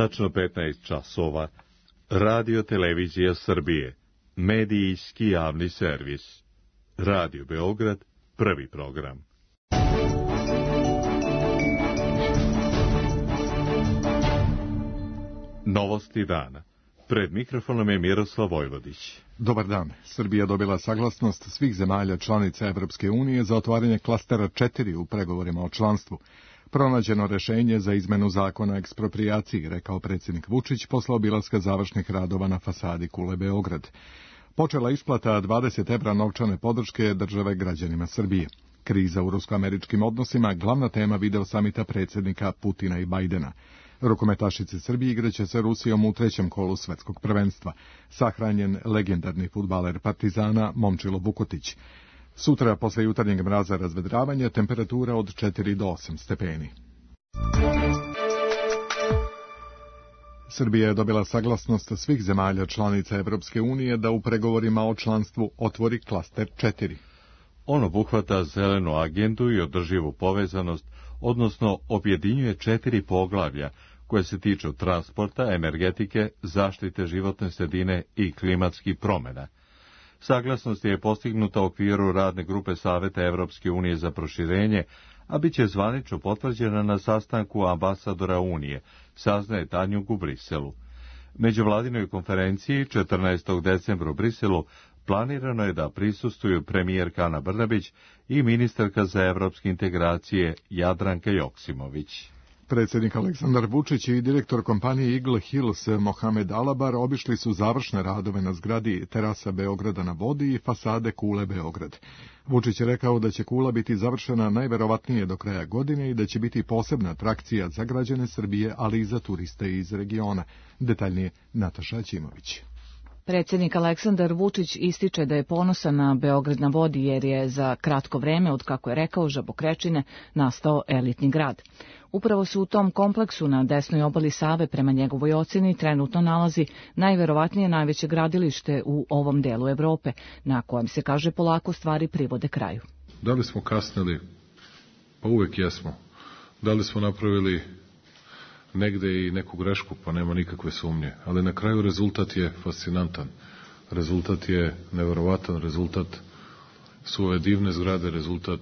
Tačno 15 časova. Radio Televizija Srbije. Medijski javni servis. Radio Beograd, prvi program. Novosti dana. Pred mikrofonom je Miroslav Vojvodić. Dobar dan. Srbija dobila saglasnost svih zemalja članica Evropske unije za otvaranje klastera 4 u pregovorima o članstvu. Pronađeno rešenje za izmenu zakona o eksproprijaciji, rekao predsjednik Vučić posle obilaska završnih radova na fasadi Kule Beograd. Počela isplata 20 evra novčane podrške države građanima Srbije. Kriza u rusko-američkim odnosima, glavna tema video samita predsjednika Putina i Bajdena. Rukometašice Srbije igraće sa Rusijom u trećem kolu svetskog prvenstva. Sahranjen legendarni fudbaler Partizana Momčilo Vukotić. Sutra, posle jutarnjeg mraza razvedravanja, temperatura od 4 do 8 stepeni. Srbija je dobila saglasnost svih zemalja članica Evropske unije da u pregovorima o članstvu otvori klaster 4. On obuhvata zelenu agendu i održivu povezanost, odnosno objedinjuje 4 poglavlja koje se tiču transporta, energetike, zaštite životne sredine i klimatskih promjena. Saglasnost je postignuta u okviru radne grupe Saveta Evropske unije za proširenje, a bit će zvanično potvrđena na sastanku ambasadora Unije, saznaje Tanjug u Briselu. Međuvladinoj konferenciji 14. decembra u Briselu planirano je da prisustvuju premijerka Ana Brnabić i ministarka za evropske integracije Jadranka Joksimović. Predsjednik Aleksandar Vučić i direktor kompanije Eagle Hills Mohamed Alabar obišli su završne radove na zgradi terasa Beograda na vodi i fasade Kule Beograd. Vučić je rekao da će kula biti završena najverovatnije do kraja godine i da će biti posebna atrakcija za građane Srbije, ali i za turiste iz regiona. Detaljnije Nataša Aćimović. Predsjednik Aleksandar Vučić ističe da je ponosan na Beograd na vodi jer je za kratko vreme, od kako je rekao Žabokrečine, nastao elitni grad. Upravo se u tom kompleksu na desnoj obali Save, prema njegovoj ocjeni, trenutno nalazi najverovatnije najveće gradilište u ovom delu Evrope, na kojem se, kaže, polako stvari privode kraju. Da li smo kasnili? Pa uvek jesmo. Da li smo napravili negde i neku grešku, pa nema nikakve sumnje. Ali na kraju rezultat je fascinantan. Rezultat je neverovatan, rezultat su ove divne zgrade, rezultat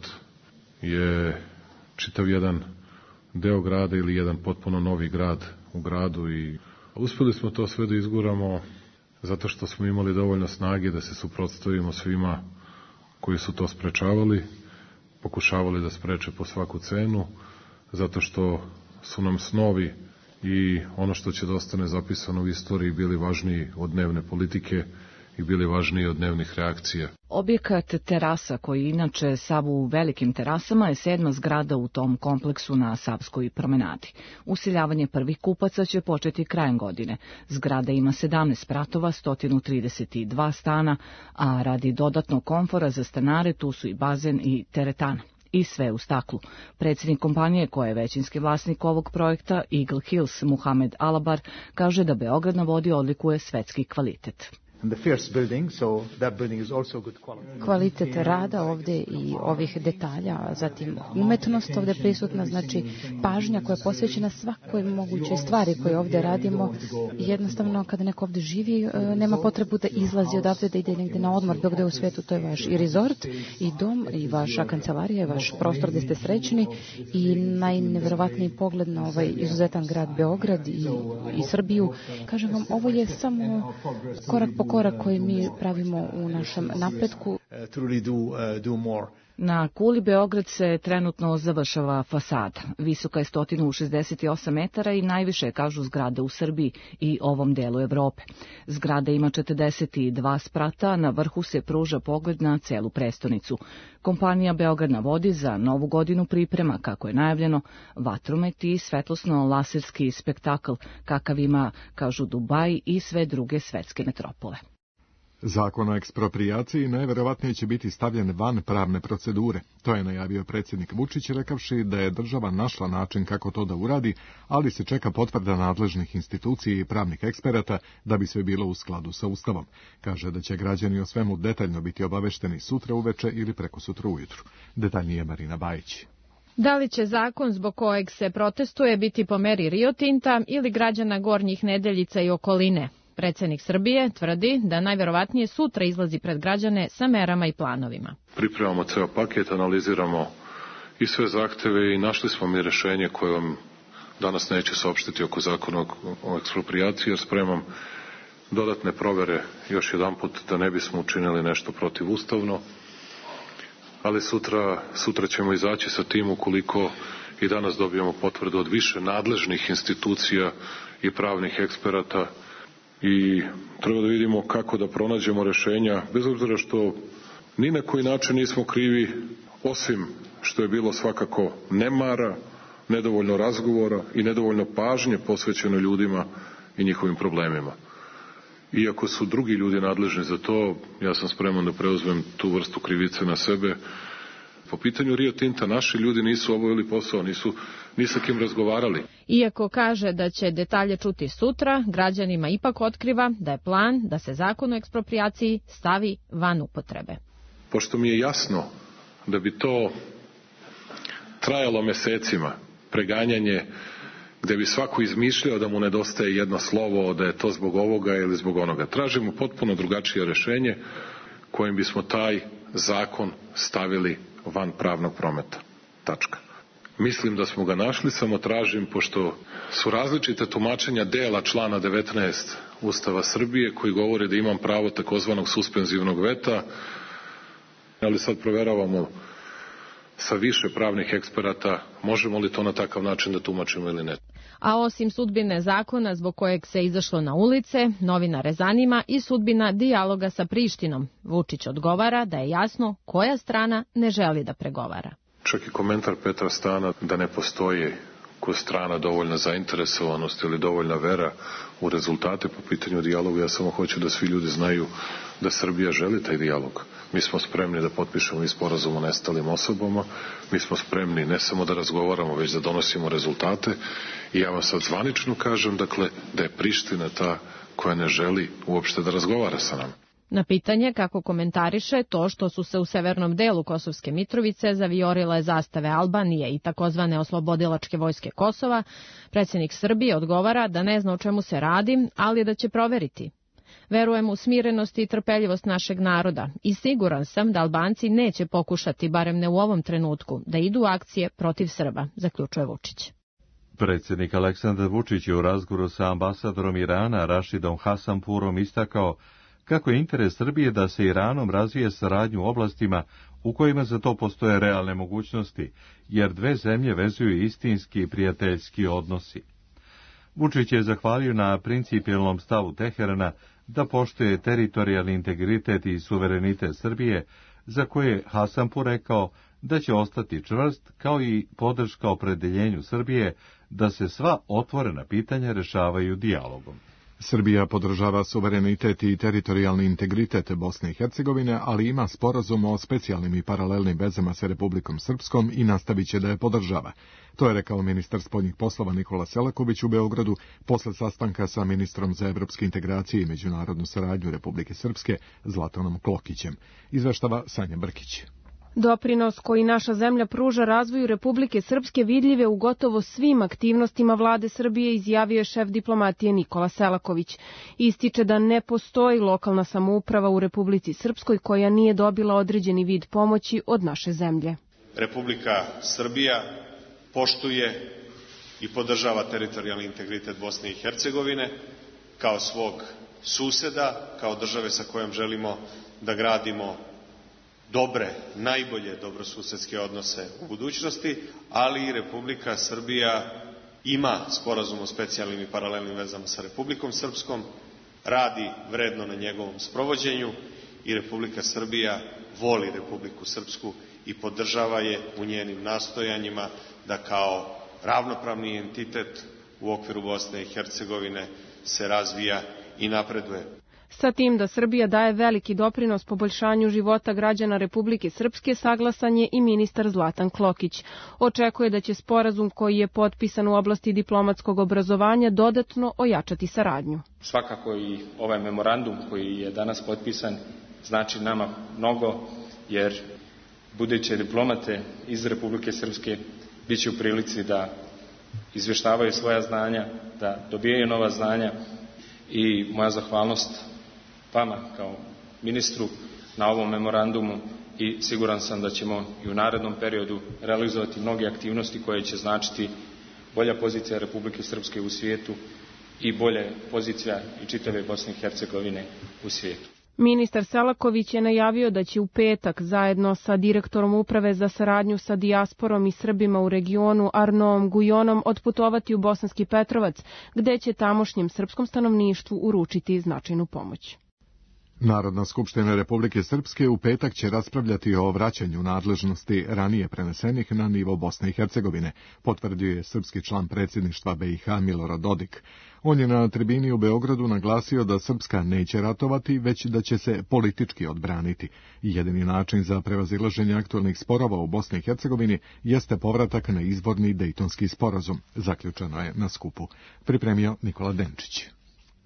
je čitav jedan deo grada ili jedan potpuno novi grad u gradu i uspeli smo to sve da izguramo zato što smo imali dovoljno snage da se suprotstavimo svima koji su to sprečavali, pokušavali da spreče po svaku cenu, zato što su nam snovi i ono što će da ostane zapisano u istoriji bili važniji od dnevne politike i bili važniji od dnevnih reakcija. Objekat terasa, koji inače sav u velikim terasama, je 7. zgrada u tom kompleksu na Savskoj promenadi. Useljavanje prvih kupaca će početi krajem godine. Zgrada ima 17 spratova, 132 stana, a radi dodatnog komfora za stanare tu su i bazen i teretana. I sve u staklu. Predsjednik kompanije, koja je većinski vlasnik ovog projekta, Eagle Hills Mohamed Alabar, kaže da Beograd na vodi odlikuje svetski kvalitet. Kvalitet rada ovdje i ovih detalja, zatim umetnost ovdje prisutna, znači pažnja koja je posvećena svakoj mogućoj stvari koje ovdje radimo. Jednostavno, kada neko ovdje živi, nema potrebu da izlazi odavde, da ide negdje na odmor, dok da je u svijetu, to je vaš i resort, i dom, i vaša kancelarija, i vaš prostor gdje ste srećni, i najneverovatniji pogled na ovaj izuzetan grad Beograd i Srbiju. Kažem vam, ovo je samo korak po korak koji mi pravimo u našem napretku. Na Kuli Beograd se trenutno završava fasada. Visoka je 168 metara i najviše, kažu, zgrade u Srbiji i ovom delu Evrope. Zgrada ima 42 sprata, na vrhu se pruža pogled na celu prestonicu. Kompanija Beograd na vodi za novu godinu priprema, kako je najavljeno, vatromet i svetlosno-laserski spektakl, kakav ima, kažu, Dubaj i sve druge svetske metropole. Zakon o eksproprijaciji najverovatnije će biti stavljen van pravne procedure. To je najavio predsjednik Vučić, rekavši da je država našla način kako to da uradi, ali se čeka potvrda nadležnih institucija i pravnih eksperata da bi sve bilo u skladu sa Ustavom. Kaže da će građani o svemu detaljno biti obavešteni sutra uveče ili prekosutra ujutru. Detaljnije Marina Bajić. Da li će zakon zbog kojeg se protestuje biti po meri Rio Tinta ili građana Gornjih Nedeljica i okoline? Predsjednik Srbije tvrdi da najverovatnije sutra izlazi pred građane sa merama i planovima. Pripremamo ceo paket, analiziramo i sve zahteve i našli smo mi rešenje koje vam danas neće saopštiti oko zakona o eksproprijaciji, jer spremam dodatne provere još jedanput da ne bismo učinili nešto protivustavno, ali sutra ćemo izaći sa tim ukoliko i danas dobijemo potvrdu od više nadležnih institucija i pravnih eksperata i treba da vidimo kako da pronađemo rešenja, bez obzira što ni na koji način nismo krivi, osim što je bilo svakako nemara, nedovoljno razgovora i nedovoljno pažnje posvećeno ljudima i njihovim problemima. Iako su drugi ljudi nadležni za to, ja sam spreman da preuzmem tu vrstu krivice na sebe. Po pitanju Rio Tinta naši ljudi nisu obavili posao, nisu ni sa kim razgovarali. Iako kaže da će detalje čuti sutra, građanima ipak otkriva da je plan da se zakon o eksproprijaciji stavi van upotrebe. Pošto mi je jasno da bi to trajalo mesecima, preganjanje gde bi svako izmišljao da mu nedostaje jedno slovo, da je to zbog ovoga ili zbog onoga. Tražimo potpuno drugačije rešenje kojim bismo taj zakon stavili van pravnog prometa. Tačka. Mislim da smo ga našli, samo tražim, pošto su različite tumačenja dela člana 19 Ustava Srbije koji govori da imam pravo takozvanog suspenzivnog veta, ali sad proveravamo sa više pravnih eksperata možemo li to na takav način da tumačimo ili ne. A osim sudbine zakona zbog kojeg se izašlo na ulice, novinare zanima i sudbina dijaloga sa Prištinom. Vučić odgovara da je jasno koja strana ne želi da pregovara. Čak i komentar Petra Stana da ne postoji kod strana dovoljna zainteresovanost ili dovoljna vera u rezultate po pitanju dijaloga. Ja samo hoću da svi ljudi znaju da Srbija želi taj dijalog. Mi smo spremni da potpišemo i sporazum o nestalim osobama, mi smo spremni ne samo da razgovaramo, već da donosimo rezultate i ja vam sad zvanično kažem, dakle, da je Priština ta koja ne želi uopšte da razgovara sa nama. Na pitanje kako komentariše to što su se u severnom delu Kosovske Mitrovice zaviorile zastave Albanije i takozvane oslobodilačke vojske Kosova, predsjednik Srbije odgovara da ne zna o čemu se radi, ali da će proveriti. Verujem u smirenost i trpeljivost našeg naroda i siguran sam da Albanci neće pokušati, barem ne u ovom trenutku, da idu u akcije protiv Srba, zaključuje Vučić. Predsjednik Aleksandar Vučić je u razgovoru sa ambasadorom Irana Rašidom Hasanpurom istakao kako je interes Srbije da se Iranom razvije saradnju u oblastima u kojima za to postoje realne mogućnosti, jer dve zemlje vezuju istinski i prijateljski odnosi. Vučić je zahvalio na principijelnom stavu Teherana da poštuje teritorijalni integritet i suverenitet Srbije, za koje je Hasanpur rekao da će ostati čvrst, kao i podrška opredeljenju Srbije da se sva otvorena pitanja rešavaju dijalogom. Srbija podržava suverenitet i teritorijalni integritet Bosne i Hercegovine, ali ima sporazum o specijalnim i paralelnim vezama sa Republikom Srpskom i nastavit će da je podržava. To je rekao ministar spoljnih poslova Nikola Selaković u Beogradu posle sastanka sa ministrom za evropske integracije i međunarodnu saradnju Republike Srpske Zlatanom Klokićem. Izveštava Sanja Brkić. Doprinos koji naša zemlja pruža razvoju Republike Srpske vidljive u gotovo svim aktivnostima vlade Srbije, izjavio je šef diplomatije Nikola Selaković. Ističe da ne postoji lokalna samouprava u Republici Srpskoj koja nije dobila određeni vid pomoći od naše zemlje. Republika Srbija poštuje i podržava teritorijalni integritet Bosne i Hercegovine kao svog suseda, kao države sa kojom želimo da gradimo dobre, najbolje dobrosusedske odnose u budućnosti, ali i Republika Srbija ima sporazum o specijalnim i paralelnim vezama sa Republikom Srpskom, radi vredno na njegovom sprovođenju i Republika Srbija voli Republiku Srpsku i podržava je u njenim nastojanjima da kao ravnopravni entitet u okviru Bosne i Hercegovine se razvija i napreduje. Sa tim da Srbija daje veliki doprinos poboljšanju života građana Republike Srpske, saglasan je i ministar Zlatan Klokić. Očekuje da će sporazum koji je potpisan u oblasti diplomatskog obrazovanja dodatno ojačati saradnju. Svakako i ovaj memorandum koji je danas potpisan znači nama mnogo, jer buduće diplomate iz Republike Srpske bit će u prilici da izvještavaju svoja znanja, da dobijaju nova znanja i moja zahvalnost vama kao ministru na ovom memorandumu i siguran sam da ćemo i u narednom periodu realizovati mnoge aktivnosti koje će značiti bolja pozicija Republike Srpske u svijetu i bolja pozicija i čitave Bosne i Hercegovine u svijetu. Ministar Selaković je najavio da će u petak zajedno sa direktorom Uprave za saradnju sa dijasporom i Srbima u regionu Arnoom Gujonom otputovati u Bosanski Petrovac, gde će tamošnjem srpskom stanovništvu uručiti značajnu pomoć. Narodna skupština Republike Srpske u petak će raspravljati o vraćanju nadležnosti ranije prenesenih na nivo Bosne i Hercegovine, potvrdio je srpski član predsjedništva BiH Milorad Dodik. On je na tribini u Beogradu naglasio da Srpska neće ratovati, već da će se politički odbraniti. Jedini način za prevazilaženje aktualnih sporova u Bosni i Hercegovini jeste povratak na izvorni Dejtonski sporazum, zaključeno je na skupu. Pripremio Nikola Denčić.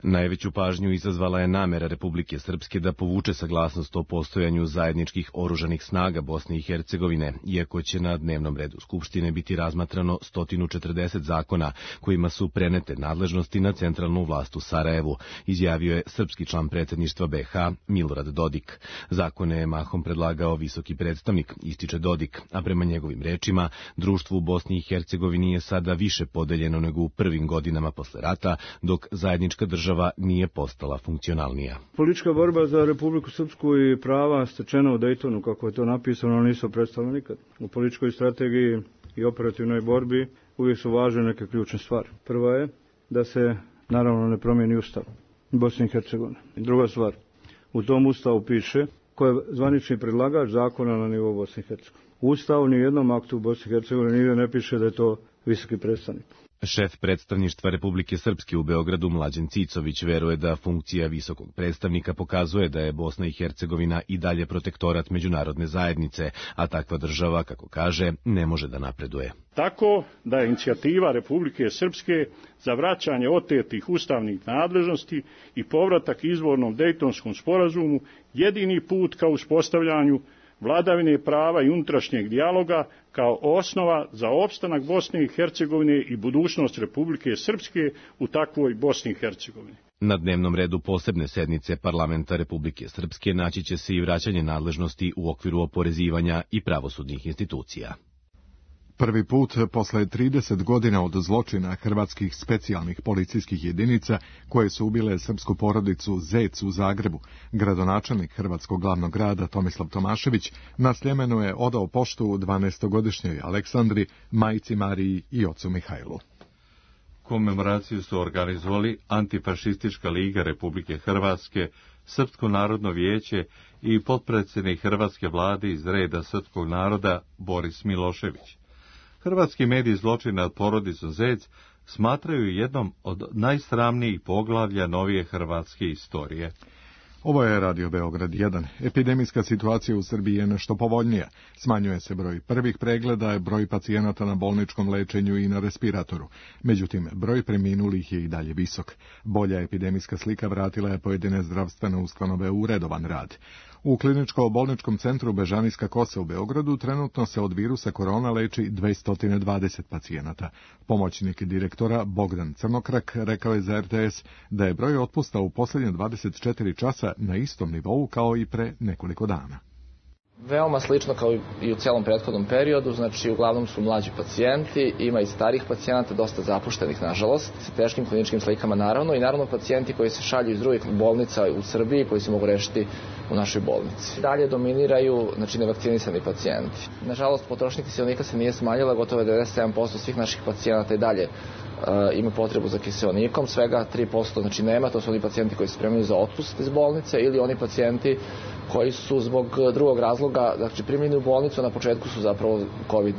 Najveću pažnju izazvala je namera Republike Srpske da povuče saglasnost o postojanju zajedničkih oružanih snaga Bosne i Hercegovine, iako će na dnevnom redu Skupštine biti razmatrano 140 zakona kojima su prenete nadležnosti na centralnu vlast u Sarajevu, izjavio je srpski član predsjedništva BiH Milorad Dodik. Zakone je mahom predlagao visoki predstavnik, ističe Dodik, a prema njegovim rečima, društvo u Bosni i Hercegovini je sada više podeljeno nego u prvim godinama posle rata, dok zajednička država nije postala funkcionalnija. Politička borba za Republiku Srpsku i prava stečena u Dejtonu, kako je to napisano, nisu predstavljene nikad. U političkoj strategiji i operativnoj borbi uvijek su važne neke ključne stvari. Prva je da se naravno ne promijeni ustav Bosne i Hercegovine. Druga stvar, u tom ustavu piše ko je zvanični predlagač zakona na nivou Bosne i Hercegovine. U ustavu ni jednom aktu u Bosni i Hercegovini nigdje ne piše da je to visoki predstavnik. Šef predstavništva Republike Srpske u Beogradu Mlađan Cicović veruje da funkcija visokog predstavnika pokazuje da je Bosna i Hercegovina i dalje protektorat međunarodne zajednice, a takva država, kako kaže, ne može da napreduje. Tako da je inicijativa Republike Srpske za vraćanje otetih ustavnih nadležnosti i povratak izvornom Dejtonskom sporazumu jedini put ka uspostavljanju vladavine prava i unutrašnjeg dijaloga kao osnova za opstanak Bosne i Hercegovine i budućnost Republike Srpske u takvoj Bosni i Hercegovini. Na dnevnom redu posebne sednice Parlamenta Republike Srpske naći će se i vraćanje nadležnosti u okviru oporezivanja i pravosudnih institucija. Prvi put posle 30 godina od zločina hrvatskih specijalnih policijskih jedinica koje su ubile srpsku porodicu Zec u Zagrebu, gradonačelnik hrvatskog glavnog grada Tomislav Tomašević na Sljemenu je odao poštu 12-godišnjoj Aleksandri, majci Mariji i ocu Mihajlu. Komemoraciju su organizovali Antifašistička liga Republike Hrvatske, Srpsko narodno vijeće i potpredsjednik hrvatske vlade iz reda srpskog naroda Boris Milošević. Hrvatski mediji zločin nad porodicom Zec smatraju jednom od najsramnijih poglavlja novije hrvatske istorije. Ovo je Radio Beograd 1. Epidemijska situacija u Srbiji je nešto povoljnija. Smanjuje se broj prvih pregleda, broj pacijenata na bolničkom lečenju i na respiratoru. Međutim, broj preminulih je i dalje visok. Bolja epidemijska slika vratila je pojedine zdravstvene ustanove u redovan rad. U kliničko-bolničkom centru Bežanijska Kosa u Beogradu trenutno se od virusa korona leči 220 pacijenata. Pomoćnik direktora Bogdan Crnokrak rekao je za RTS da je broj otpusta u posljednje 24 časa na istom nivou kao i pre nekoliko dana. Veoma slično kao i u celom prethodnom periodu, znači uglavnom su mlađi pacijenti, ima i starih pacijenata, dosta zapuštenih nažalost, sa teškim kliničkim slikama naravno i naravno pacijenti koji se šalju iz drugih bolnica u Srbiji koji se mogu rešiti u našoj bolnici. Dalje dominiraju znači nevakcinisani pacijenti. Nažalost potrošnja kiseonika se nije smanjila, gotovo 97% svih naših pacijenata i dalje ima potrebu za kiseonikom, svega 3% znači nema, to su oni pacijenti koji se spremaju za otpust iz bolnice ili oni pacijenti koji su zbog drugog razloga, znači primljeni u bolnicu, na početku su zapravo COVID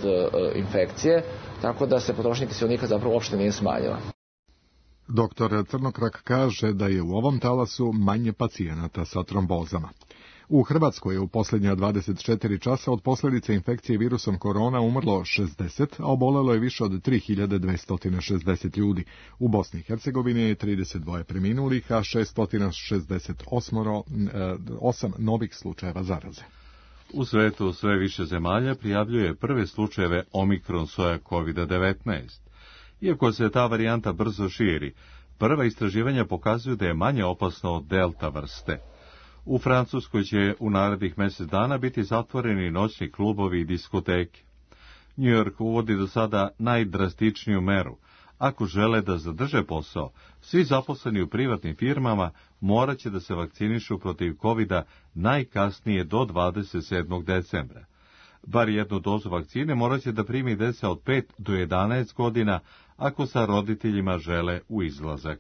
infekcije, tako da se potrošnja kiseonika zapravo uopšte nije smanjila. Doktor Crnokrak kaže da je u ovom talasu manje pacijenata sa trombozama. U Hrvatskoj je u posljednja 24 časa od posljedice infekcije virusom korona umrlo 60, a obolelo je više od 3260 ljudi. U Bosni i Hercegovini je 32 preminulih, a 668 novih slučajeva zaraze. U svetu sve više zemalja prijavljuje prve slučajeve omikron soja COVID-19. Iako se ta varijanta brzo širi, prva istraživanja pokazuju da je manje opasno od delta vrste. U Francuskoj će u narednih mjesec dana biti zatvoreni noćni klubovi i diskoteke. New York uvodi do sada najdrastičniju meru. Ako žele da zadrže posao, svi zaposleni u privatnim firmama morat će da se vakcinišu protiv COVID-a najkasnije do 27. decembra. Bar jednu dozu vakcine morat će da primi deca od 5 do 11 godina ako sa roditeljima žele u izlazak.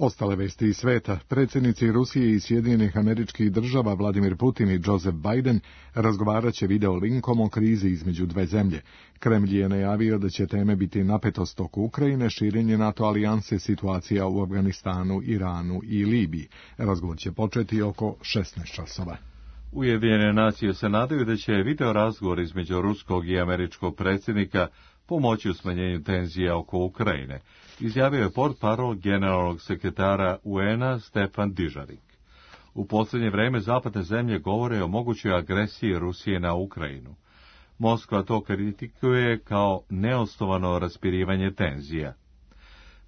Ostale vesti iz sveta. Predsjednici Rusije i Sjedinjenih Američkih Država Vladimir Putin i Joseph Biden razgovarat će video linkom o krizi između dve zemlje. Kremlj je najavio da će teme biti napetost oko Ukrajine, širenje NATO alijanse, situacija u Afganistanu, Iranu i Libiji. Razgovor će početi oko 16 časova. Ujedinjene nacije se nadaju da će video razgovor između ruskog i američkog predsjednika pomoći u smanjenju tenzija oko Ukrajine, izjavio je portparol generalnog sekretara UN-a Stefan Dujarric. U posljednje vreme zapadne zemlje govore o mogućoj agresiji Rusije na Ukrajinu. Moskva to kritikuje kao neosnovano raspirivanje tenzija.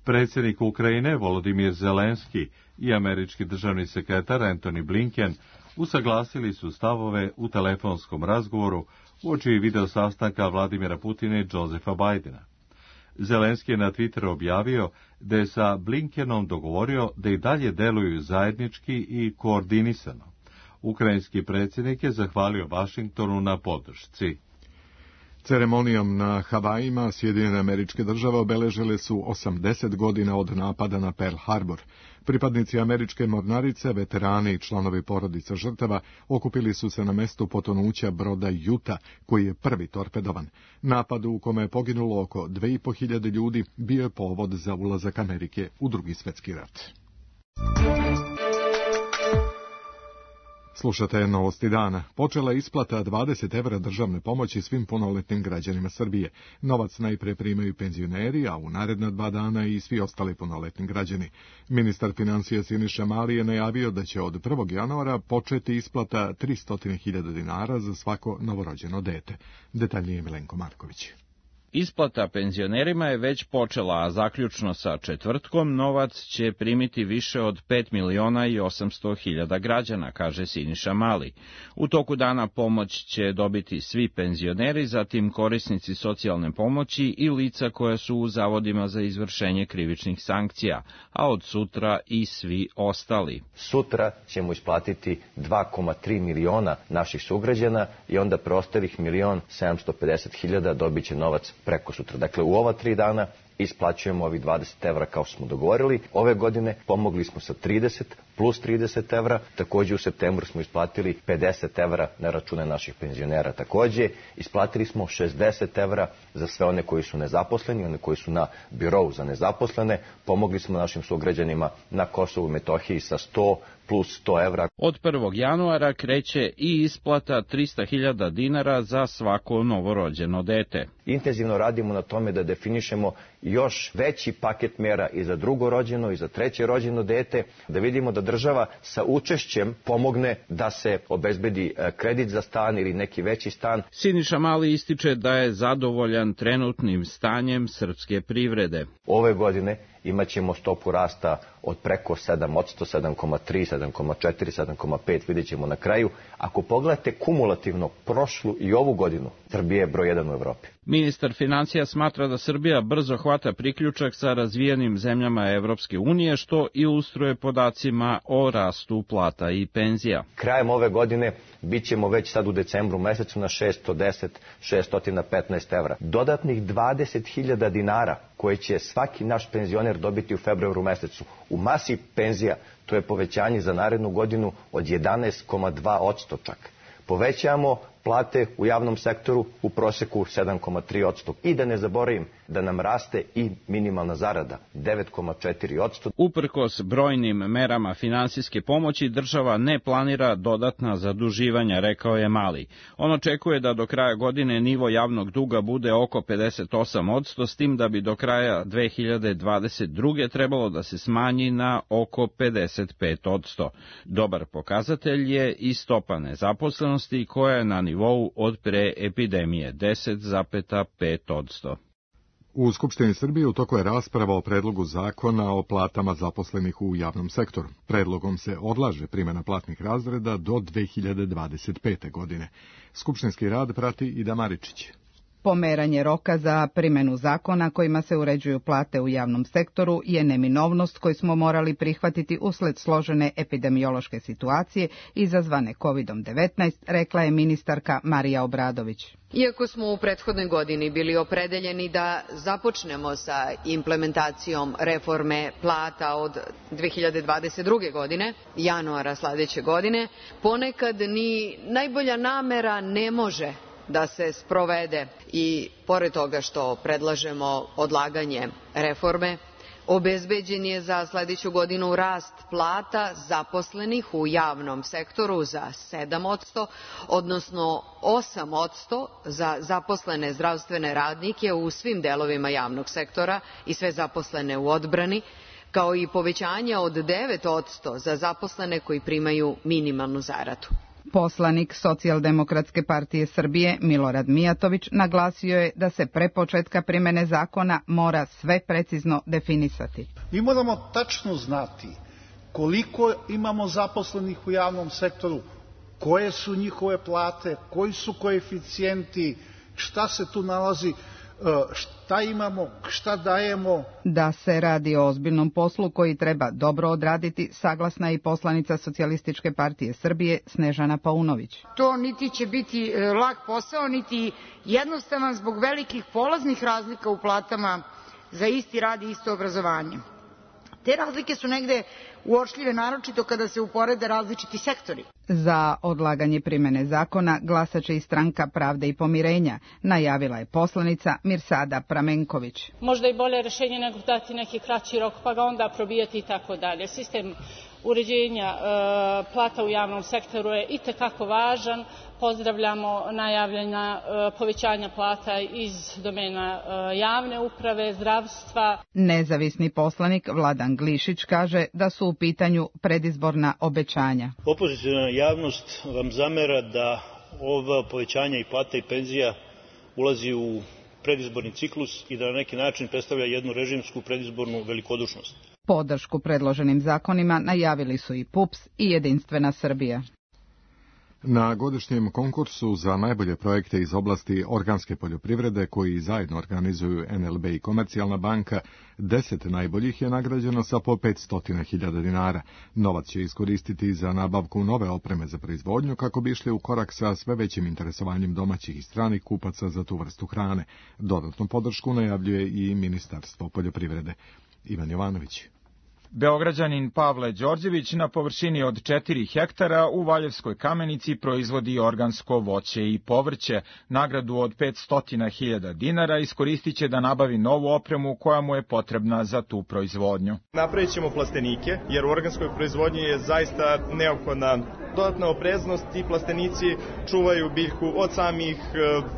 Predsjednik Ukrajine Volodimir Zelenski i američki državni sekretar Antony Blinken usaglasili su stavove u telefonskom razgovoru uoči video sastanka Vladimira Putina i Josepha Bidena. Zelenski je na Twitteru objavio da je sa Blinkenom dogovorio da i dalje deluju zajednički i koordinisano. Ukrajinski predsjednik je zahvalio Vašingtonu na podršci. Ceremonijom na Havajima Sjedinjene Američke Države obeležile su 80 godina od napada na Pearl Harbor. Pripadnici američke mornarice, veterani i članovi porodica žrtava okupili su se na mestu potonuća broda Utah, koji je prvi torpedovan. Napad u kome je poginulo oko 2500 ljudi bio je povod za ulazak Amerike u Drugi svjetski rat. Slušate novosti dana. Počela je isplata 20 evra državne pomoći svim punoletnim građanima Srbije. Novac najpre primaju penzioneri, a u naredna 2 dana i svi ostali punoletni građani. Ministar financija Siniša Mali je najavio da će od 1. januara početi isplata 300.000 dinara za svako novorođeno dete. Detaljnije Milenko Marković. Isplata penzionerima je već počela, a zaključno sa četvrtkom novac će primiti više od 5.800.000 građana, kaže Siniša Mali. U toku dana pomoć će dobiti svi penzioneri, zatim korisnici socijalne pomoći i lica koja su u zavodima za izvršenje krivičnih sankcija, a od sutra i svi ostali. Sutra ćemo isplatiti 2,3 miliona naših sugrađana i onda preostalih 1.750.000 dobit će novac preko sutra. Dakle, u ova 3 dana isplaćujemo ovih 20 evra kao smo dogovorili. Ove godine pomogli smo sa 30 plus 30 evra. Također u septembru smo isplatili 50 evra na račune naših penzionera. Također isplatili smo 60 evra za sve one koji su nezaposleni, one koji su na birou za nezaposlene. Pomogli smo našim sugrađanima na Kosovu i Metohiji sa 100 plus 100 evra. Od 1. januara kreće i isplata 300.000 dinara za svako novorođeno dete. Intenzivno radimo na tome da definišemo još veći paket mera i za drugo rođeno i za treće rođeno dete, da vidimo da država sa učešćem pomogne da se obezbedi kredit za stan ili neki veći stan. Siniša Mali ističe da je zadovoljan trenutnim stanjem srpske privrede. Ove godine imat ćemo stopu rasta od preko 7%, 7,3, 7,4, 7,5, vidjet ćemo na kraju. Ako pogledate kumulativno prošlu i ovu godinu, Srbija je broj 1 u Evropi. Ministar financija smatra da Srbija brzo hvata priključak sa razvijenim zemljama Evropske unije, što ilustruje podacima o rastu plata i penzija. Krajem ove godine bit ćemo već sad u decembru mesecu na 610-615 evra. Dodatnih 20.000 dinara koje će svaki naš penzioner dobiti u februaru mesecu. U masi penzija to je povećanje za narednu godinu od 11,2% čak. Povećamo plate u javnom sektoru u proseku 7,3%. I da ne zaboravim da nam raste i minimalna zarada 9,4%. Uprkos brojnim merama finansijske pomoći, država ne planira dodatna zaduživanja, rekao je Mali. On očekuje da do kraja godine nivo javnog duga bude oko 58%, s tim da bi do kraja 2022. trebalo da se smanji na oko 55%. Dobar pokazatelj je i stopa nezaposlenosti koja je na nivou od pre epidemije 10,5%. U Skupštini Srbije u toku je rasprava o predlogu zakona o platama zaposlenih u javnom sektoru. Predlogom se odlaže primjena platnih razreda do 2025. godine. Skupštinski rad prati Ida Maričić. Pomeranje roka za primjenu zakona kojima se uređuju plate u javnom sektoru je neminovnost koju smo morali prihvatiti usled složene epidemiološke situacije izazvane COVID-19, rekla je ministarka Marija Obradović. Iako smo u prethodnoj godini bili opredeljeni da započnemo sa implementacijom reforme plata od 2022. godine, januara sledeće godine, ponekad ni najbolja namera ne može da se sprovede i pored toga što predlažemo odlaganje reforme, obezbeđen je za sledeću godinu rast plata zaposlenih u javnom sektoru za 7%, odnosno 8% za zaposlene zdravstvene radnike u svim delovima javnog sektora i sve zaposlene u odbrani, kao i povećanje od 9% za zaposlene koji primaju minimalnu zaradu. Poslanik Socijaldemokratske partije Srbije Milorad Mijatović naglasio je da se pre početka primene zakona mora sve precizno definisati. Mi moramo tačno znati koliko imamo zaposlenih u javnom sektoru, koje su njihove plate, koji su koeficijenti, šta se tu nalazi, šta imamo, šta dajemo. Da se radi o ozbiljnom poslu koji treba dobro odraditi, saglasna je i poslanica Socijalističke partije Srbije Snežana Paunović. To niti će biti lak posao, niti jednostavan zbog velikih polaznih razlika u platama za isti rad i isto obrazovanje. Te razlike su negde uočljive, naročito kada se uporede različiti sektori. Za odlaganje primene zakona glasaće i Stranka pravde i pomirenja, najavila je poslanica Mirsada Pramenković. Možda i bolje rešenje nego dati neki kraći rok pa ga onda probijati i tako dalje. Sistem uređenja plata u javnom sektoru je itekako važan. Pozdravljamo najavljena povećanja plata iz domena javne uprave, zdravstva. Nezavisni poslanik Vladan Glišić kaže da su u pitanju predizborna obećanja. Opoziciona javnost vam zamera da ova povećanja i plata i penzija ulazi u predizborni ciklus i da na neki način predstavlja jednu režimsku predizbornu velikodušnost. Podršku predloženim zakonima najavili su i PUPS i Jedinstvena Srbija. Na godišnjem konkursu za najbolje projekte iz oblasti organske poljoprivrede koji zajedno organizuju NLB i Komercijalna banka, 10 najboljih je nagrađeno sa po 500.000 dinara. Novac će iskoristiti za nabavku nove opreme za proizvodnju kako bi išli u korak sa sve većim interesovanjem domaćih i stranih kupaca za tu vrstu hrane. Dodatnu podršku najavljuje i Ministarstvo poljoprivrede. Ivan Jovanović. Beograđanin Pavle Đorđević na površini od 4 hektara u Valjevskoj Kamenici proizvodi organsko voće i povrće. Nagradu od 500.000 dinara iskoristit će da nabavi novu opremu koja mu je potrebna za tu proizvodnju. Napravit ćemo plastenike, jer u organskoj proizvodnji je zaista neophodna dodatna opreznost. Ti plastenici čuvaju biljku od samih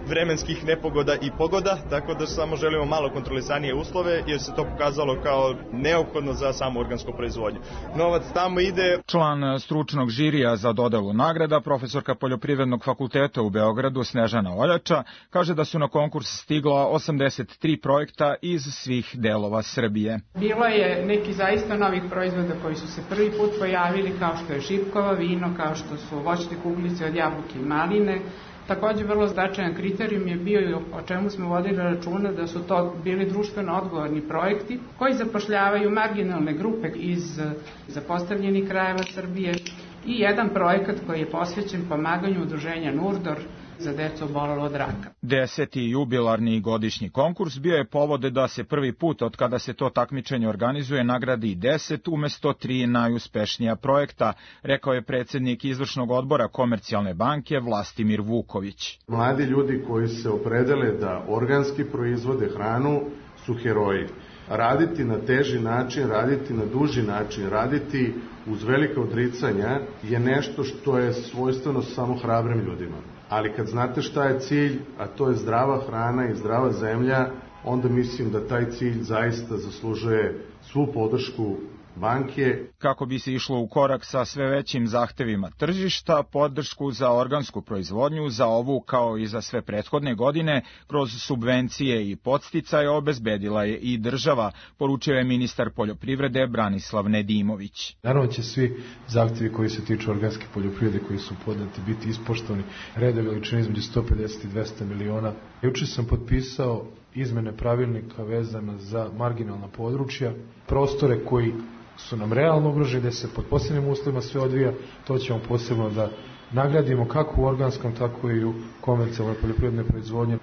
vremenskih nepogoda i pogoda, tako da samo želimo malo kontrolisanije uslove, jer se to pokazalo kao neophodno za samu organsku proizvodnju. Novac tamo ide. Član stručnog žirija za dodelu nagrada, profesorka Poljoprivrednog fakulteta u Beogradu Snežana Oljača, kaže da su na konkurs stigla 83 projekta iz svih delova Srbije. Bilo je neki zaista novih proizvoda koji su se prvi put pojavili, kao što je šipkova vino, kao što su voćne kuglice od jabuke i maline. Takođe, vrlo značajan kriterijum je bio i o čemu smo vodili računa da su to bili društveno odgovorni projekti koji zapošljavaju marginalne grupe iz zapostavljenih krajeva Srbije i jedan projekat koji je posvećen pomaganju udruženja Nurdor za decu obolelo od raka. 10. jubilarni godišnji konkurs bio je povod da se prvi put od kada se to takmičenje organizuje nagradi 10 umesto 3 najuspešnija projekta, rekao je predsjednik izvršnog odbora Komercijalne banke Vlastimir Vuković. Mladi ljudi koji se opredele da organski proizvode hranu su heroji. Raditi na teži način, raditi na duži način, raditi uz velike odricanja je nešto što je svojstveno samo hrabrim ljudima. Ali kad znate šta je cilj, a to je zdrava hrana i zdrava zemlja, onda mislim da taj cilj zaista zaslužuje svu podršku banke. Kako bi se išlo u korak sa sve većim zahtevima tržišta, podršku za organsku proizvodnju za ovu kao i za sve prethodne godine kroz subvencije i podsticaje obezbedila je i država, poručio je ministar poljoprivrede Branislav Nedimović. Naravno će svi zahtevi koji se tiču organske poljoprivrede koji su podati biti ispoštovani, reda veličine između 150 i 200 miliona. Juče sam potpisao izmene pravilnika vezana za marginalna područja, prostore koji su nam realno ugroženi, gde se pod posebnim uslovima sve odvija, to ćemo posebno da nagradimo kako u organskom, tako i u komercijalnoj poljoprivrednoj proizvodnji.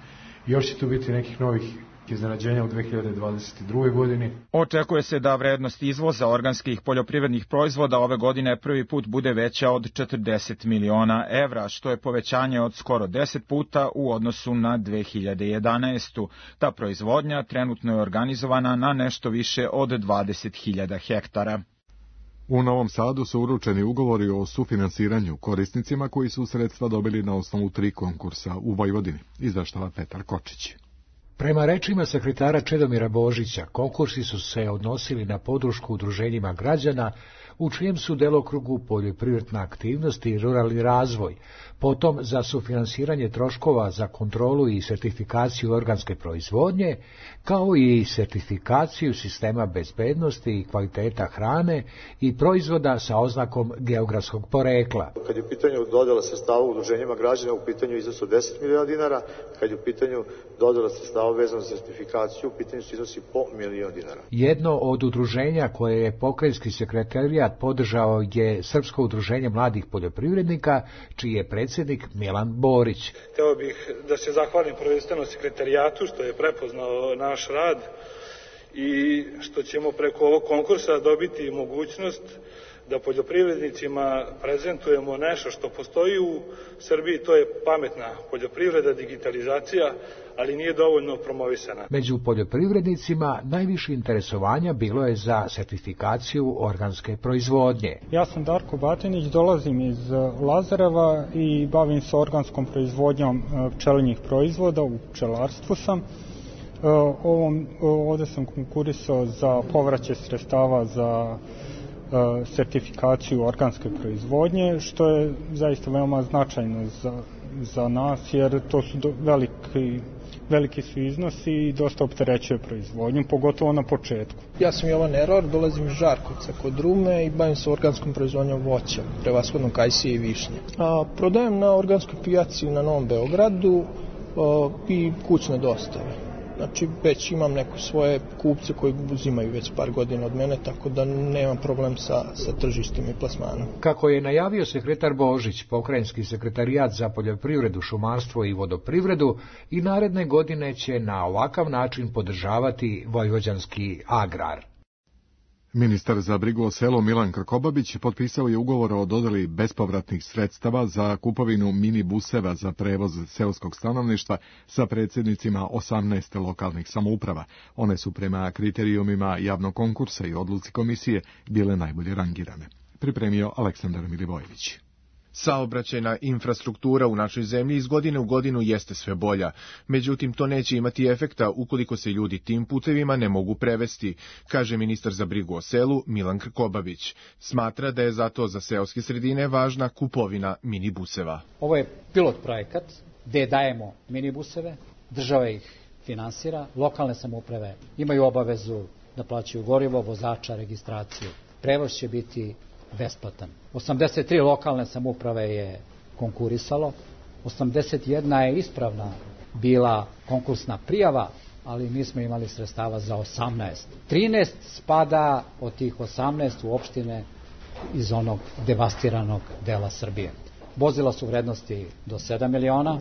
Još će tu biti nekih novih iznenađenja u 2022. godini. Očekuje se da vrednost izvoza organskih poljoprivrednih proizvoda ove godine prvi put bude veća od 40 miliona evra, što je povećanje od skoro 10 puta u odnosu na 2011. Ta proizvodnja trenutno je organizovana na nešto više od 20.000 hektara. U Novom Sadu su uručeni ugovori o sufinansiranju korisnicima koji su sredstva dobili na osnovu 3 konkursa u Vojvodini, izveštava Petar Kočić. Prema rečima sekretara Čedomira Božića, konkursi su se odnosili na podršku udruženjima građana u čijem su delokrugu poljoprivredna aktivnost i ruralni razvoj, potom za sufinansiranje troškova za kontrolu i sertifikaciju organske proizvodnje, kao i sertifikaciju sistema bezbednosti i kvaliteta hrane i proizvoda sa oznakom geografskog porekla. Kad je u pitanju dodjela sredstava udruženjima građana, u pitanju iznos od 10 miliona dinara, kad je u pitanju dodjela sredstava vezano za sertifikaciju, u pitanju su iznosi po milion dinara. Jedno od udruženja koje je pokrajinski sekretarijat podržao je Srpsko udruženje mladih poljoprivrednika, čiji je predsjednik Milan Borić. Hteo bih da se zahvalim prvenstveno sekretarijatu što je prepoznao naš rad i što ćemo preko ovog konkursa dobiti mogućnost da poljoprivrednicima prezentujemo nešto što postoji u Srbiji, to je pametna poljoprivreda, digitalizacija, ali nije dovoljno promovisana. Među poljoprivrednicima najviše interesovanja bilo je za sertifikaciju organske proizvodnje. Ja sam Darko Batinić, dolazim iz Lazareva i bavim se organskom proizvodnjom pčelinjih proizvoda, u pčelarstvu sam. Ovde sam konkurisao za povraćaj sredstava za sertifikaciju organske proizvodnje, što je zaista veoma značajno za nas, jer to su veliki su iznosi i dosta opterećuje proizvodnju, pogotovo na početku. Ja sam Jovan Eror, dolazim iz Žarkovca kod Rume i bavim se organskom proizvodnjom voća, prevashodno kajsije i višnje. Prodajem na organskoj pijaci na Novom Beogradu i kućne dostave. Znači, već imam neko svoje kupce koji uzimaju već par godina od mene, tako da nemam problem sa tržištem i plasmanom. Kako je najavio sekretar Božić, pokrajinski sekretarijat za poljoprivredu, šumarstvo i vodoprivredu i naredne godine će na ovakav način podržavati vojvođanski agrar. Ministar za brigu o selu Milan Krkobabić potpisao je ugovor o dodeli bespovratnih sredstava za kupovinu minibuseva za prevoz seoskog stanovništva sa predsjednicima 18 lokalnih samouprava. One su prema kriterijumima javnog konkursa i odluci komisije bile najbolje rangirane. Pripremio Aleksandar Milivojević. Saobraćajna infrastruktura u našoj zemlji iz godine u godinu jeste sve bolja, međutim to neće imati efekta ukoliko se ljudi tim putevima ne mogu prevesti, kaže ministar za brigu o selu Milan Krkobabić. Smatra da je zato za seoske sredine važna kupovina minibuseva. Ovo je pilot projekat gde dajemo minibuseve, država ih finansira, lokalne samouprave imaju obavezu da plaćaju gorivo, vozača, registraciju. Prevoz će biti besplatan. 83 lokalne samouprave je konkurisalo, 81 je ispravna bila konkursna prijava, ali mi smo imali sredstava za 18. 13 spada od tih 18 u opštine iz onog devastiranog dela Srbije. Vozila su vrednosti do 7 miliona,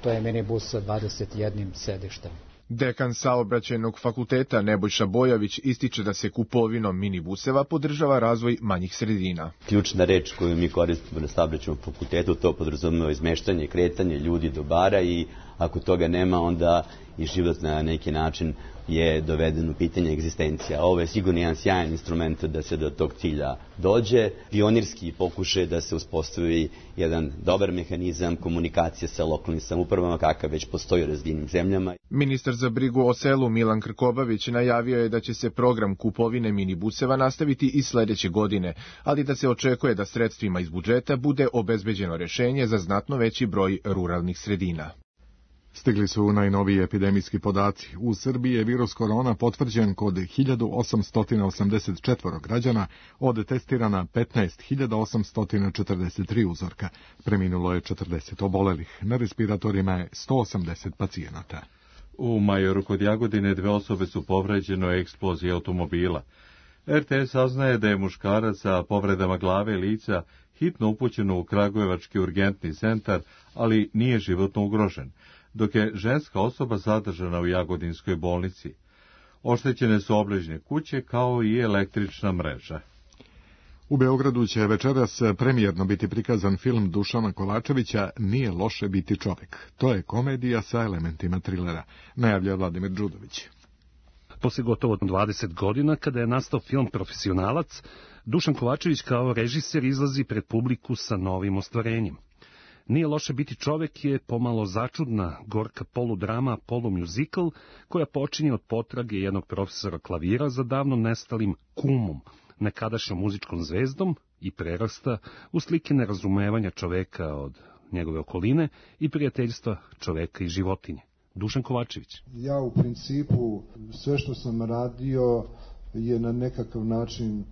to je minibus sa 21 sedištem. Dekan Saobraćajnog fakulteta Nebojša Bojović ističe da se kupovinom minibuseva podržava razvoj manjih sredina. Ključna reč koju mi koristimo na Saobraćajnom fakultetu, to podrazumeva izmeštanje, kretanje ljudi, dobara i ako toga nema, onda i život na neki način je doveden u pitanje egzistencija. Ovo je sigurno jedan sjajan instrument da se do tog cilja dođe. Pionirski pokušaj da se uspostavi jedan dobar mehanizam komunikacije sa lokalnim samoupravama kakav već postoji u razvijenim zemljama. Ministar za brigu o selu Milan Krkobabić najavio je da će se program kupovine minibuseva nastaviti i sledeće godine, ali da se očekuje da sredstvima iz budžeta bude obezbeđeno rešenje za znatno veći broj ruralnih sredina. Stigli su najnoviji epidemijski podaci. U Srbiji je virus korona potvrđen kod 1884 građana, od testirana 15.843 uzorka. Preminulo je 40 obolelih. Na respiratorima je 180 pacijenata. U Majoru kod Jagodine 2 osobe su povređene u eksploziji automobila. RTS saznaje da je muškarac sa povredama glave i lica hitno upućen u Kragujevački urgentni centar, ali nije životno ugrožen, dok je ženska osoba zadržana u Jagodinskoj bolnici. Oštećene su obližnje kuće kao i električna mreža. U Beogradu će večeras premijerno biti prikazan film Dušana Kovačevića Nije loše biti čovek. To je komedija sa elementima trilera, najavlja Vladimir Đudović. Posle gotovo 20 godina, kada je nastao film Profesionalac, Dušan Kovačević kao režiser izlazi pred publiku sa novim ostvarenjem. Nije loše biti čovek je pomalo začudna, gorka poludrama, polumjuzikl, koja počinje od potrage jednog profesora klavira za davno nestalim kumom, nekadašnjom muzičkom zvezdom i prerasta u slike nerazumevanja čoveka od njegove okoline i prijateljstva čoveka i životinje. Dušan Kovačević. Ja u principu sve što sam radio je na nekakav način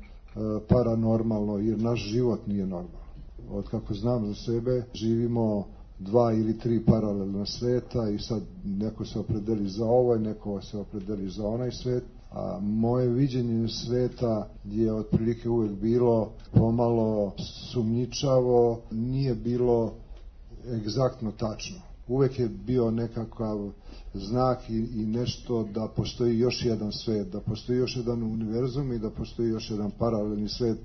paranormalno, jer naš život nije normalan. Od kako znam za sebe, živimo 2 ili 3 paralelna sveta i sad neko se opredeli za ovaj, neko se opredeli za onaj svet, a moje viđenje sveta je otprilike uvek bilo pomalo sumnjičavo, nije bilo egzaktno tačno. Uvek je bio nekakav znak i nešto da postoji još jedan svet, da postoji još jedan univerzum i da postoji još jedan paralelni svet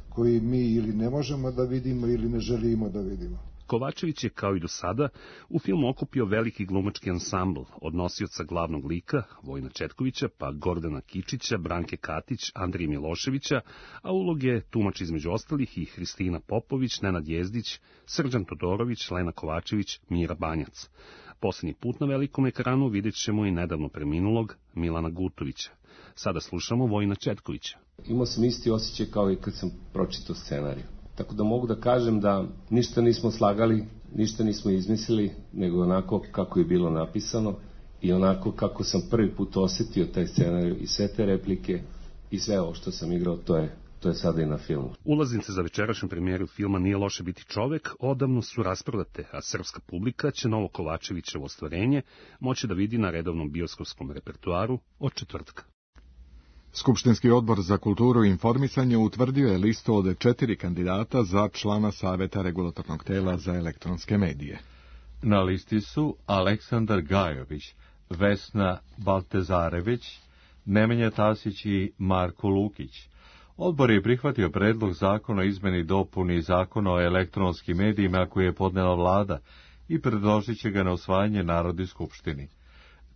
koji mi ili ne možemo da vidimo ili ne želimo da vidimo. Kovačević je, kao i do sada, u filmu okupio veliki glumački ansambl od nosioca glavnog lika, Vojina Četkovića, pa Gordana Kičića, Branke Katić, Andrije Miloševića, a uloge tumači između ostalih i Hristina Popović, Nenad Jezdić, Srđan Todorović, Lena Kovačević, Mira Banjac. Poslednji put na velikom ekranu vidjet ćemo i nedavno preminulog Milana Gutovića. Sada slušamo Vojina Četkovića. Imao sam isti osjećaj kao i kad sam pročitao scenariju. Tako da mogu da kažem da ništa nismo slagali, ništa nismo izmislili, nego onako kako je bilo napisano i onako kako sam prvi put osetio taj scenarij i sve te replike i sve ovo što sam igrao, to je sada i na filmu. Ulaznice za večerašnju premijeru filma Nije loše biti čovek odavno su rasprodate, a srpska publika će novo Kovačevićevo ostvarenje moći da vidi na redovnom bioskopskom repertuaru od četvrtka. Skupštinski odbor za kulturu i informisanje utvrdio je listu od 4 kandidata za člana Saveta regulatornog tela za elektronske medije. Na listi su Aleksandar Gajović, Vesna Baltezarević, Nemanja Tasić i Marko Lukić. Odbor je prihvatio predlog zakona o izmeni i dopuni zakona o elektronskim medijima koji je podnela vlada i predložit će ga na usvajanje Narodnoj skupštini.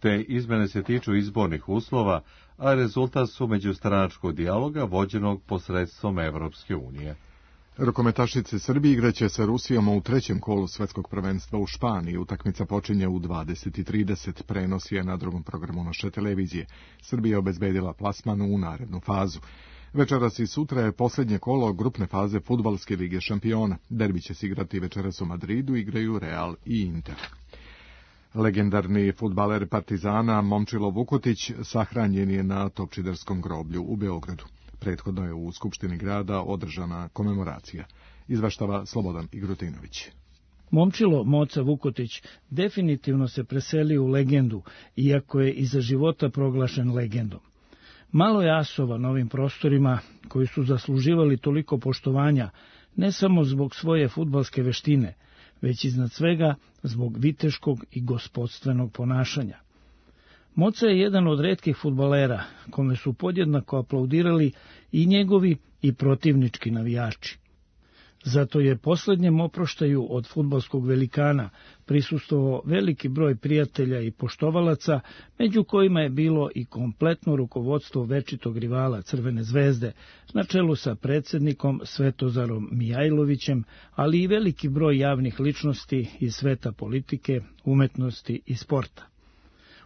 Te izmene se tiču izbornih uslova, a rezultat su međustranačkog dijaloga vođenog posredstvom Evropske unije. Rukometašice Srbije igraće sa Rusijom u 3. kolu svetskog prvenstva u Španiji. Utakmica počinje u 20:30, prenos je na drugom programu naše televizije. Srbija je obezbedila plasman u narednu fazu. Večeras i sutra je posljednje kolo grupne faze Fudbalske lige šampiona. Derbi će se igrati večeras u Madridu, igraju Real i Inter. Legendarni fudbaler Partizana Momčilo Vukotić sahranjen je na Topčiderskom groblju u Beogradu. Prethodno je u Skupštini grada održana komemoracija. Izveštava Slobodan Igrutinović. Momčilo Moca Vukotić definitivno se preselio u legendu, iako je i za života proglašen legendom. Malo je asova na ovim prostorima, koji su zasluživali toliko poštovanja, ne samo zbog svoje fudbalske veštine, već iznad svega zbog viteškog i gospodstvenog ponašanja. Moca je jedan od retkih fudbalera kome su podjednako aplaudirali i njegovi i protivnički navijači. Zato je posljednjem oproštaju od fudbalskog velikana prisustvovao veliki broj prijatelja i poštovalaca, među kojima je bilo i kompletno rukovodstvo večitog rivala Crvene zvezde, na čelu sa predsjednikom Svetozarom Mijajlovićem, ali i veliki broj javnih ličnosti iz sveta politike, umetnosti i sporta.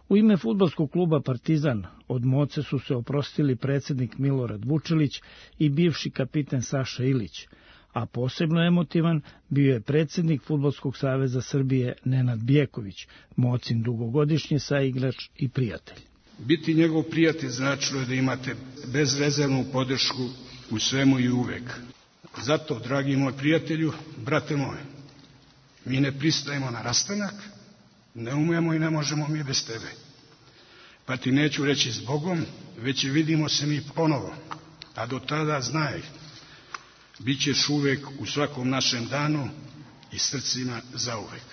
U ime fudbalskog kluba Partizan od Moce su se oprostili predsjednik Milorad Vučelić i bivši kapiten Saša Ilić, a posebno emotivan bio je predsjednik Fudbalskog saveza Srbije Nenad Bjeković, Mocin dugogodišnji saigrač i prijatelj. Biti njegov prijatelj značilo je da imate bezrezervnu podršku u svemu i uvek. Zato, dragi moj prijatelju, brate moj, mi ne pristajemo na rastanak, ne umemo i ne možemo mi bez tebe. Pa ti neću reći zbogom, već vidimo se mi ponovo, a do tada znaj, bit ćeš uvek u svakom našem danu i srcima zauvek.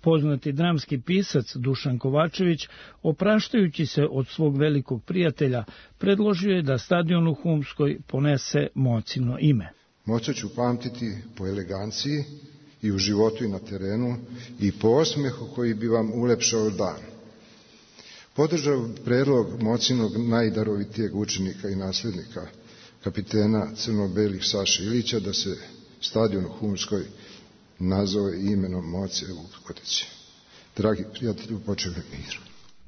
Poznati dramski pisac Dušan Kovačević, opraštajući se od svog velikog prijatelja, predložio je da stadion u Humskoj ponese Mocino ime. Moca ću pamtiti po eleganciji i u životu i na terenu i po osmehu koji bi vam ulepšao dan. Podržao predlog Mocinog najdarovitijeg učenika i nasljednika, kapitena crno-belih Saše Ilića, da se stadion u Humskoj nazove imenom Moce Vukotić. Dragi prijatelju, počevaj mir.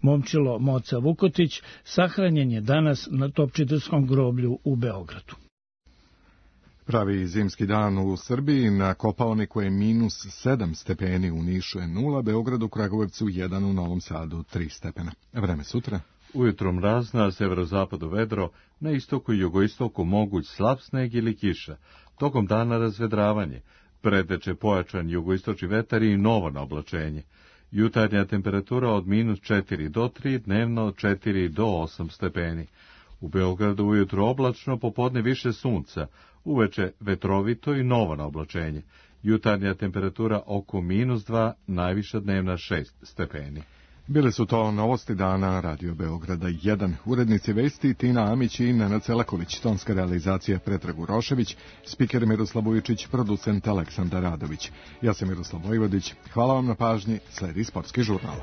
Momčilo Moca Vukotić sahranjen je danas na Topčiderskom groblju u Beogradu. Pravi zimski dan u Srbiji, na Kopaoniku je -7 stepeni, u Nišu je 0, Beogradu, Kragujevcu 1, u Novom Sadu 3 stepena. Vreme sutra. Ujutro mraz, na severozapadu vedro, na istoku i jugoistoku moguć slab sneg ili kiša. Tokom dana razvedravanje, preteče pojačan jugoistočni vetar i novo naoblačenje. Jutarnja temperatura od -4 do 3, dnevno od 4 do 8 stepeni. U Beogradu ujutro oblačno, popodne više sunca, uveče vetrovito i novo naoblačenje. Jutarnja temperatura oko -2, najviša dnevna 6 stepeni. Bile su to novosti dana Radio Beograda 1. Urednici vesti Tina Amić i Nenad Selaković, tonska realizacija Predrag Urošević, spiker Miroslav Vujičić, producent Aleksandar Radović. Ja sam Miroslav Vojvodić. Hvala vam na pažnji. Sledi sportski žurnal.